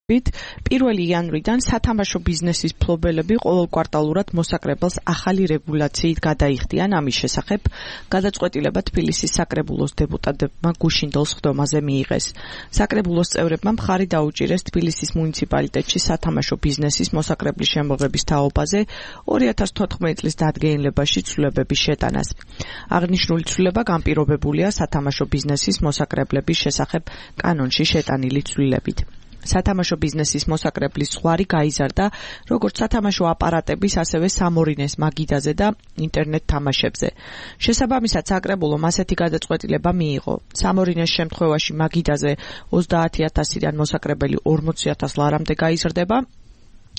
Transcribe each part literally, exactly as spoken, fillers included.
პირველი იანვრიდან სათამაშო ბიზნესის მფლობელები ყოველკვარტალურად მოსაკრებელს ახალი რეგულაციით გადაიხდიან. ამის შესახებ გადაწყვეტილება თბილისის საკრებულოს დეპუტატებმა გუშინდელ სხდომაზე მიიღეს. საკრებულოს წევრებმა მხარი დაუჭირეს თბილისის მუნიციპალიტეტში სათამაშო ბიზნესის მოსაკრებლის შემოღების თაობაზე ორი ათას თოთხმეტი წლის დადგენილებაში ცვლილებების შეტანას. აღნიშნული ცვლილება განპირობებულია სათამაშო ბიზნესის მოსაკრებლების შესახებ კანონში შეტანილი ცვლილებით. სათამაშო ბიზნესის მოსაკრებლის ზღვარი გაიზარდა როგორც სათამაშო აპარატების, ასევე სამორინეს მაგიდაზე და ინტერნეტ თამაშებზე. შესაბამისად, საკრებულომ ასეთი გადაწყვეტილება მიიღო. სამორინეს შემთხვევაში მაგიდაზე ოცდაათი ათასიდან მოსაკრებელი ორმოცი ათას ლარამდე გაიზრდება.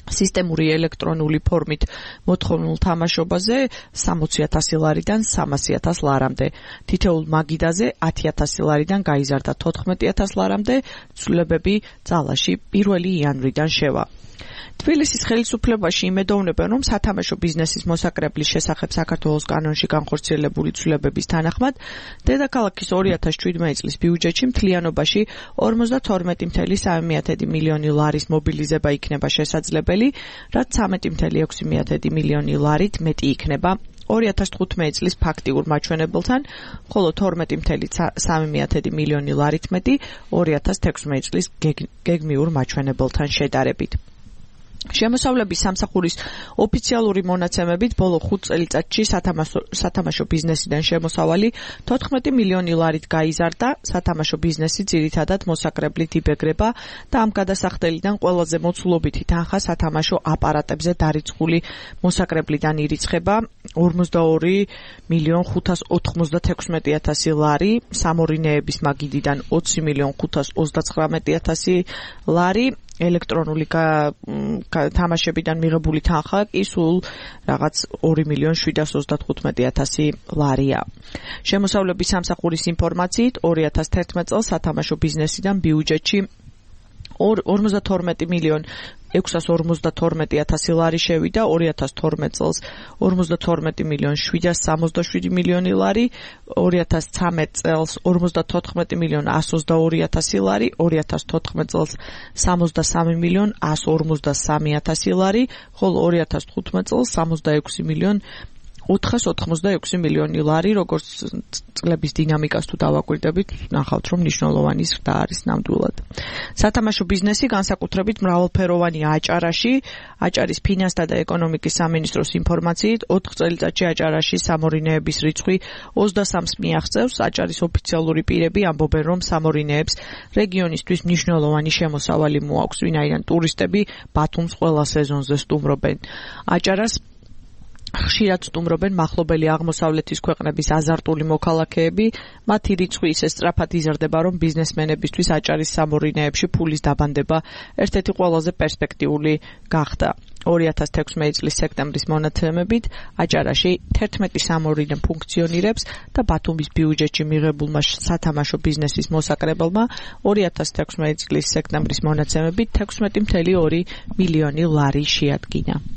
სისტემური ელექტრონული ფორმით მოთხოვნილ თამაშობაზე სამოცი ათასი ლარიდან სამასი ათას ლარამდე. თითოეულ მაგიდაზე ათი ათასი ლარიდან გაიზარდა თოთხმეტი ათას ლარამდე. ცვლილებები ძალაში პირველი იანვრიდან შევა. თბილისის ხელისუფლებაში იმედოვნებენ, რომ სათამაშო ბიზნესის მოსაკრებლის შესახებ საქართველოს კანონში განხორციელებული ცვლილებების თანახმად დედაქალაქის ორი ათას შვიდმეტი წლის ბიუჯეტში მთლიანობაში ორმოცდათორმეტი წუთი სამი მილიონი ლარის მობილიზება იქნება შესაძლებელი, რაც ცხრამეტი წუთი ექვსი მილიონი ლარით მეტი იქნება ორი ათას თხუთმეტი წლის ფაქტიურ მაჩვენებელთან, ხოლო თორმეტი წუთი სამი მილიონი ლარით მეტი ორი ათას თექვსმეტი წლის გეგმიურ მაჩვენებელთან შედარებით. შემოსავლების სამსახურის ოფიციალური მონაცემებით ბოლო ხუთ წელიწადში სათამაშო ბიზნესიდან შემოსავალი თოთხმეტი მილიონი ლარით გაიზარდა. სათამაშო ბიზნესი ძირითადად მოსაკრებლით იბეგრება და ამ გადასახდელიდან ყველაზე მოცულობითი თანხა სათამაშო აპარატებზე დარიცხული მოსაკრებლიდან ირიცხება ორმოცდაორი მილიონ ხუთას ოთხმოცდათექვსმეტი ათასი ლარი, სამორინეების მაგიდიდან ოცი მილიონ ხუთას ოცდაცხრამეტი ათასი ლარი. ელექტრონული თამაშებიდან მიღებული თანხა კი სულ რაღაც ორი მილიონ შვიდას ოცდათხუთმეტი ათასი ლარია. შემოსავლების სამსახურის ინფორმაციით ორი ათას თერთმეტი წელს სათამაშო ბიზნესიდან ბიუჯეტში ორმოცდათორმეტი მილიონ ექვსას ორმოცდათორმეტი ათასი ლარი შევიდა, ორი ათას თორმეტი წელს ორმოცდათორმეტი მილიონ შვიდას სამოცდაშვიდი მილიონი ლარი, ორი ათას ცხრამეტი წელს ორმოცდათოთხმეტი მილიონ ასს ოცდაორი ათასი ლარი, ორი ათას თოთხმეტი წელს სამოცდასამი მილიონ ასს ორმოცდასამი ათასი ლარი, ხოლო ორი ათას თხუთმეტი წელს სამოცდაექვსი მილიონ ოთხას ოცდაექვსი მილიონი ლარი. როგორც წლების დინამიკას თუ დავაკვირდებით, ნახავთ, რომ მნიშვნელოვანი ზრდა არის ნამდვილად. სათამაშო ბიზნესი განსაკუთრებით მრავალფეროვანია აჭარაში. აჭარის ფინანსთა და ეკონომიკის სამინისტროს ინფორმაციით ოთხ წელიწადში აჭარაში სამორინეების რიცხვი ოცდასამს მიაღწევს. აჭარის ოფიციალური პირები ამბობენ, რომ სამორინეებს რეგიონისთვის მნიშვნელოვანი შემოსავალი მოაქვს, ვინაიდან ტურისტები ბათუმს ყველა სეზონზე სტუმრობენ. აჭარას ხშირად სტუმრობენ მახლობელი აღმოსავლეთის ქვეყნების აზარტული მოქალაქეები. მათი რიცხვი ისე სწრაფად იზრდება, რომ ბიზნესმენებისთვის აჭარის სამორინეებში ფულის დაბანდება ერთ-ერთი ყველაზე პერსპექტიული გახდა. ორი ათას თექვსმეტი წლის სექტემბრის მონაცემებით აჭარაში თერთმეტი სამორინე ფუნქციონირებს და ბათუმის ბიუჯეტში მიღებულმა სათამაშო ბიზნესის მოსაკრებელმა ორი ათას თექვსმეტი წლის სექტემბრის მონაცემებით თექვსმეტი წუთი ორი მილიონი ლარი შეადგინა.